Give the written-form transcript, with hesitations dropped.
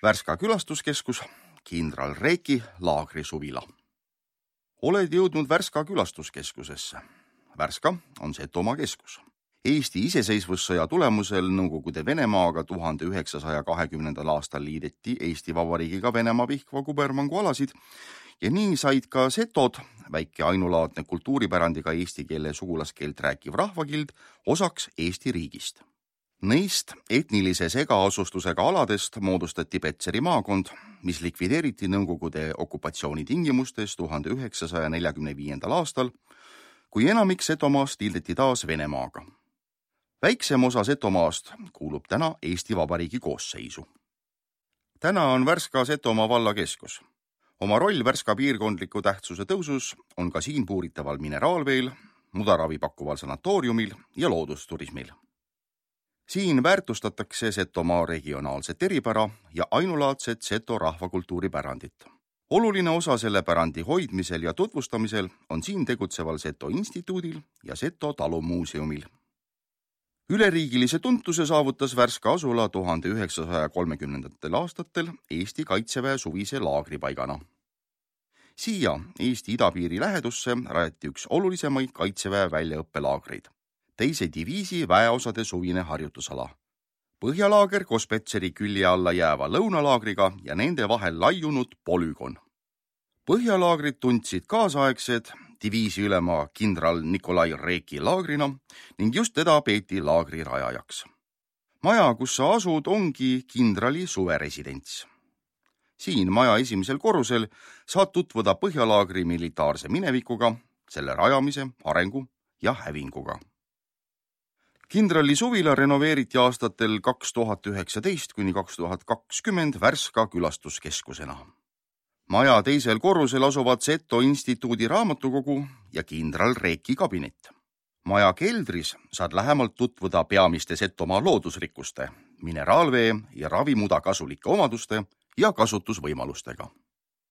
Värska külastuskeskus, kindral Reeki laagrisuvila. Oled jõudnud Värska külastuskeskusesse. Värska on Setomaa keskus. Eesti iseseisvussõja tulemusel Nõukogude Venemaaga 1920. aastal liideti Eesti Vabariigiga Venemaa Pihkva kubermangu alasid ja nii said ka setod, väike ainulaadne kultuuripärandiga eesti keele sugulaskeelt rääkiv rahvakild, osaks Eesti riigist. Neist etnilise segaasustusega aladest moodustati Petseri maakond, mis likvideeriti Nõukogude okupatsiooni tingimustes 1945. aastal, kui enamik Setomaast liideti taas Venemaaga. Väiksem osa Setomaast kuulub täna Eesti Vabariigi koosseisu. Täna on Värska Setomaa valla keskus. Oma roll Värska piirkondliku tähtsuse tõusus on ka siin puuritaval mineraalveel, mudaravi pakkuval sanatooriumil ja loodusturismil. Siin väärtustatakse Setomaa regionaalset eripära ja ainulaadset Seto rahvakultuuripärandit. Oluline osa selle pärandi hoidmisel ja tutvustamisel on siin tegutseval Seto instituudil ja Seto talumuuseumil. Üleriigilise tuntuse saavutas Värska asula 1930. aastatel Eesti Kaitseväe suvise laagripaigana. Siia Eesti idapiiri lähedusse rajati üks olulisemaid Kaitseväe väljaõppelaagreid. Teise diviisi väeosade suvine harjutusala. Põhjalaager koos Petseri külje alla jääva lõunalaagriga ja nende vahel laiunud polügon. Põhjalaagrid tundsid kaasaegsed diviisi ülema kindral Nikolai Reeki laagrina ning just teda peeti laagri rajajaks. Maja, kus sa asud, ongi kindrali suveresidents. Siin maja esimesel korrusel saad tutvuda Põhjalaagri militaarse minevikuga, selle rajamise, arengu ja hävinguga. Kindrali suvila renoveeriti aastatel 2019–2020 Värska külastuskeskusena. Maja teisel korrusel asuvad Seto instituudi raamatukogu ja kindral Reeki kabinet. Maja keldris saad lähemalt tutvuda peamiste Setomaa loodusrikkuste, mineraalvee ja ravimuda kasulike omaduste ja kasutusvõimalustega.